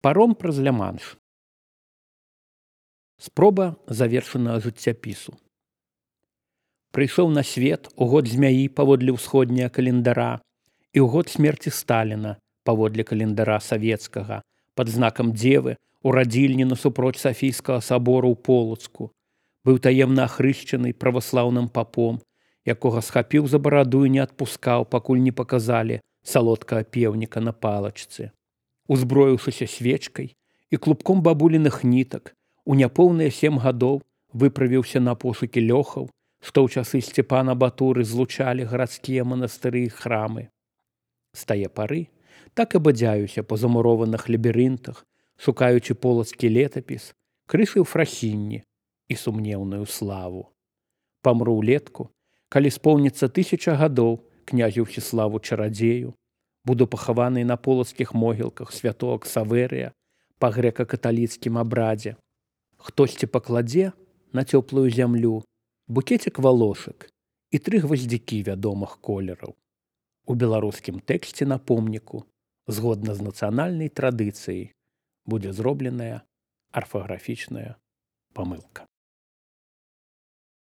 Паром праз Ля-Манш. Спроба завершанага жыццяпісу. Прыйшоў на свет у год змяі паводле ўсходняга календара і ў год смерці Сталіна паводле календара савецкага пад знакам дзевы у радзільні насупроць Сафійскага сабору ў Полацку. Быў таемна ахрышчаны праваслаўным папом, якога схапіў за бараду і не адпускаў, пакуль не паказалі салодкага пеўніка на палачцы. Узброіўшыся свечкай і клубком бабуліных нітак, у няпоўныя 7 гадоў выправіўся на пошукі лёхаў, што ў часы Сцепана Батуры злучалі гарадскія манастыры і храмы. З тае пары так і бадзяюся па замурованых лабірынтах, шукаючы полацкі летапіс, крышы ў фрахінні і сумнеўную славу. Памру ўлетку, калі споўніцца 1000 гадоў князю Ўсіславу Чарадзею, буду пахаваны на полацкіх могілках святого Ксаверыя па грэка-каталіцкім абрадзе. Хтосьці пакладзе на цёплую зямлю букецік валошак і 3 гваздзікі вядомых колераў. У беларускім тэксце на помніку, згодна з нацыянальнай традыцыяй, будзе зробленая арфаграфічная памылка.